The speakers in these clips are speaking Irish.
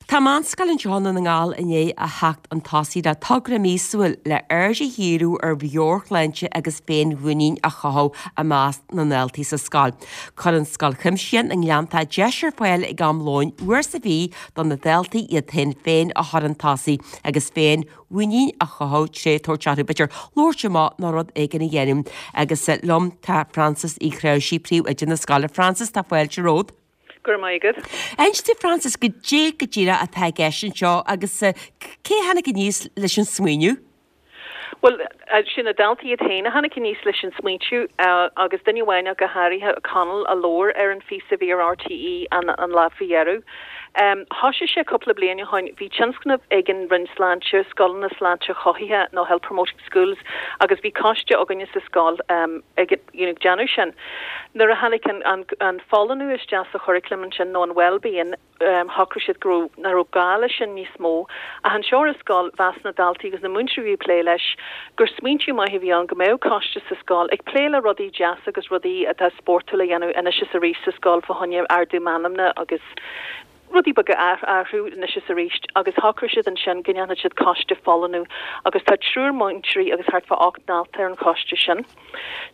Tá meánscoil anseo i nDún na nGall i ndiaidh a theacht chun tosaigh le togra míosúil le aird a dhíriú ar mheabhairshláinte agus féinmhuinín a chothú i measc na ndaltaí sa scoil. Cuireann Scoil Chuimsitheach na nGleanntach deis ar fáil ag am lóin uair sa mhí do na daltaí iad féin féin a chur chun tosaigh agus féinmhuinín a chothú tré tabhairt orthu b'fhéidir labhairt amach nó rud éigin a dhéanamh. Agus liom tá Frances Uí Chnáimhsí, Príomhoide na scoile. Frances, tá fáilte romhat. Go raibh maith agat. Inis dúinn Frances, goidé go díreach atá i gceist anseo agus cé a tháinig aníos leis an smaoineamh? Bhuel, sin na daltaí iad féin a tháinig aníos leis an smaointiú agus duine amháin ach go háirithe, Conall, a labhair ar an phíosa a bhí ar RTÉ an lá faoi dheireadh. Thoisigh sé cúpla bliain ó shoin, bhí tionscnamh ag an Roinn Sláinte, Scoileanna Sláinte Chothaithe nó Health Promoting Schools, agus bhí coiste againne sa scoil ag you know, déanamh sin. Nuair a tháinig an, an, an folláine isteach sa churaclam ansin, nó an well-being, shocraigh siad go raibh, nach raibh gá leis sin níos mó. Ach anseo ar an scoil, mheas na daltaí agus na múinteoirí a bhí ag plé leis, gur smaointiú maith a bhí ann go mbeadh coiste sa scoil ag plé le rudaí deasa agus rudaí atá spórtúil a dhéanamh anois is arís sa scoil fá choinne ardú meanmna agus rudaí beaga a athrú anois is arís agus shocraigh siad ansin go ndéanfadh siad coiste folláine agus tá triúr múinteoirí agus thart fá 8 ndalta ar an choiste sin.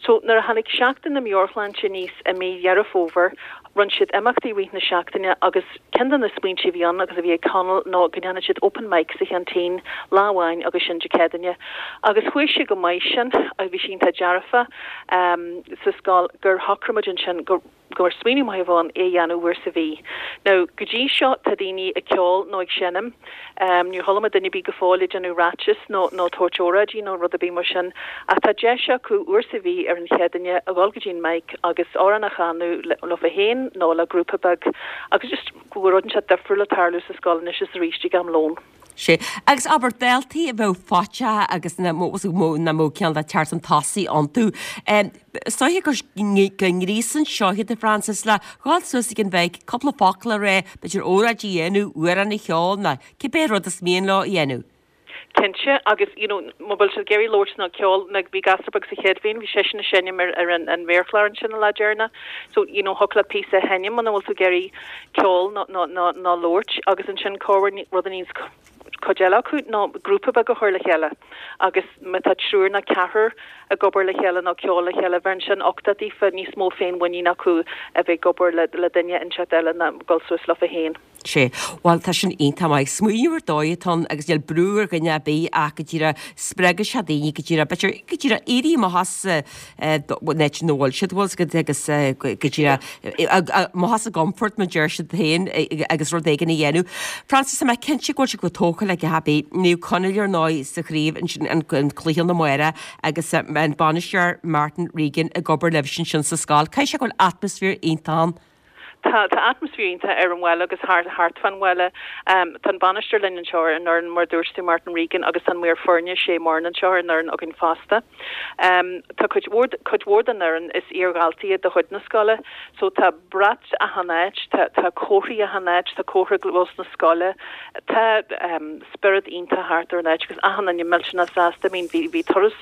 So nuair a tháinig Seachtain na Meabhairshláinte aníos i mí Dheireadh Fómhair rinne siad imeachtaí i rith na seachtaine agus ceann de na smaointe a bhí ann agus a bhí ag Conall ná go ndéanfadh siad open mic sa cheaintín lá amháin agus sin Dé Céadaoine agus chuaigh sé go maith sin agus bhí sé iontach dearfa sa scoil gur shocraigh muid ansin go gur smaoineamh maith a bheadh ann é a dhéanamh uair sa mhí. Now, go dtí seo tá daoine ag ceol nó ag seinm. Níor chuala mé duine ar bith go fóill ag déanamh ráiteas nó nó tabhairt óráidí nó rud ar bith mar sin. Ach tá deis acu uair sa mhí ar an Chéadaoine a dhul go dtí an mic agus amhrán a chanadh leofa féin nó le grúpa beag agus just go bhfuil rud inteacht difriúil ag tarlú sa scoil anois is arís ag am lóin. Sea. Agus abair, daltaí a bheadh faiteach agus nach mbeadh cineál de teacht chun tosaigh iontu. Is dóiche go ngríosann seo iad, a Frances, le dhul suas ag an mhic, cúpla focal a rá, b'fhéidir óráid a dhéanamh, amhrán a cheol nó cibé rud is mian leo a dhéanamh. Cinnte, agus you know má bhfuil siad ag iarraidh labhairt nó ceol, like bhí gasúr beag sa chéad bhliain, bhí seisean ag seinm ar ar an an mhéarchlár ansin an lá deireanach, so you know thiocfadh leat píosa a sheinm muna bhfuil tú ag iarraidh ceol nó nó nó nó labhairt agus ansin corruair rud a níonns cuid eile acu ná grúpa beag a chur le chéile agus má tá triúr nó ceathrar ag obair le chéile nó ceol le chéile bheireann sin uchtach daofa níos mó féinmhuinín acu a bheith ag obair le le duine inteacht eile ná dul suas leofa féin. Sea, bhuel tá sin iontach maith. Smaoineamh ar dóigh atá ann agus níl brú ar dhuine ar bith ach go díreach spreagfaidh sé daoine go díreach, b'fhéidir go díreach éirí amach as an áit ina bhfuil siad, bhfuil 's agat agus go díreach amach as a gcomfort mar deir siad féin agus rud éigin a dhéanamh. Frances, tá mé cinnte go bhfuil sé chomh tógtha le gach ar bith. Naomh Conaill ar ndóigh sa chraobh ansin an cluiche amárach agus an bainisteoir Martin Regan ag obair libhse ansin sa scoil. Caithfidh sé go bhfuil atmaisféar iontach ann. Tá, tá atmaisféar iontach ar an bhaile agus thart, thart fán bhaile. Tá an bainisteoir linn anseo ar an fhoireann, mar a dúirt tú, Martin Regan, agus tá an maor foirne, Shay Moran, anseo ar an fhoireann againn fosta. Tá cuid mhór, cuid mhór den fhoireann, is iar-dhaltaí iad de chuid na scoile, so tá brat achan áit, tá, tá comharthaí achan áit, tá comhartha i gclós na scoile, tá spiorad iontach thart ar an áit agus achan duine millteanach sásta. I mean, bhí, bhí turas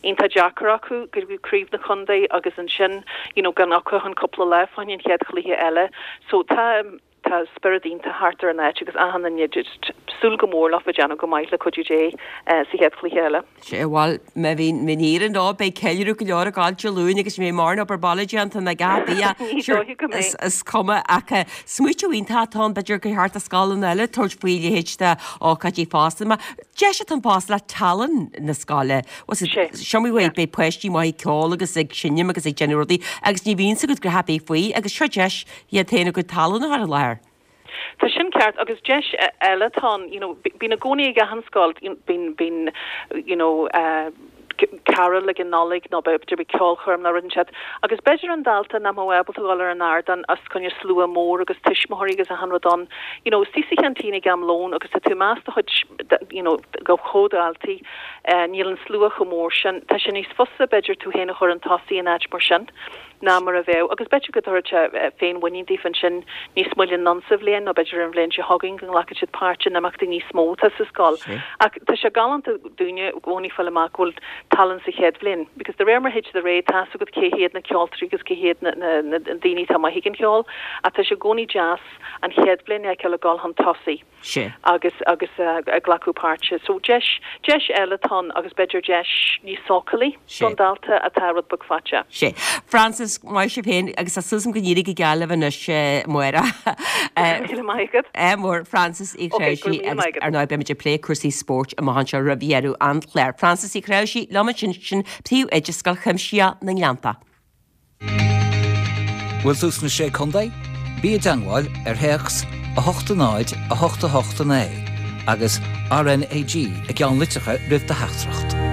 iontach deacair acu go dtí craobh na contae agus ansin you know gan acu ach an cúpla lá fá choinne an chéad chluiche eile so tá tá spiorad iontach thart ar an áit agus achan duine just súil go mór leofa déanamh go maith le cuidiú Dé sa chéad chluiche eile. Sea, bhuel, má bhíonn má éiríonn leo beidh ceiliúradh go leor ag gabháil Dé Luain agus ní bheidh mórán obair baile déanta ná a dhath Ní dóiche go mbeidh. Is cuma ach smaoitiú iontach atá ann b'fhéidir gur cheart do scoileanna eile tabhairt faoi a leithéid de ócáidí fosta. Mar Deis atá ann fosta le tallann na scoile. Seo mar Yeah. beidh páistí maith ag ceol agus ag seinm agus ag déanamh rudaí agus ní bhíonn 's agat a dhath ar bith faoi agus seo deis iad féin a gcuid tallann a chur i láthair. Tá sin ceart agus deis eile atá ann, you know, bíonn i gcónaí ag achan scoil, bíonn, bíonn, you know, eh, carúil ag an Nollaig nó b'fhéidir beidh ceolchoirm nó rud inteacht agus b'fhéidir an dalta nach mbeadh ábalta dhul ar an ardán os coinne slua mór agus tuismitheoirí agus achan rud ann, you know, istigh sa cheaintín ag am lóin agus tá tú i measc do chuid, you know, do chomhdhaltaí, níl an slua chomh mór sin, tá sé níos fusa b'fhéidir tú féin a chur chun tosaigh in áit mar sin. ná mar a bheadh, agus b'fhéidir go dtabharfadh sé féinmhuinín daofa ansin níos moille anonn sa bhliain nó b'fhéidir ar an bhliain seo chugainn go nglacfaidh siad páirt in imeachtaí níos mó atá sa scoil. Ach tá sé galánta dúinne i gcónaí fáil amach go bhfuil tallann sa chéad bhliain because de réir mar a théid siad ar aghaidh tá's agat cé hiad na ceoltóirí agus cé hiad na na daoine atá maith ag an cheol ach tá sé i gcónaí deas an chéad bhliain a fheiceáil ag dul chun tosaigh. Sea. agus agus ag glacadh páirte. So deis, deis eile atá ann agus b'fhéidir deis níos sócúlaí don dalta atá rud beag faiteach. Sea. Frances, maith sibh féin agus tá súil agam go n-éireoidh go geal libh anois amárach. Go raibh míle maith agat. Ádh mór, Frances Uí Chráimhsí agus ar ndóigh beimid ag plé cúrsaí spóirt amach anseo roimh dheireadh an chláir. Frances Uí Chráimhsí liom ansin, sin Príomhoide Scoil Chuimsitheach na nGleannta. Bhfuil tú sna Sé Contae? Bí i dteangmháil ar théacs 8 0 8 8 9 agus RnaG i gceannlitreacha roimh do theachtaireacht.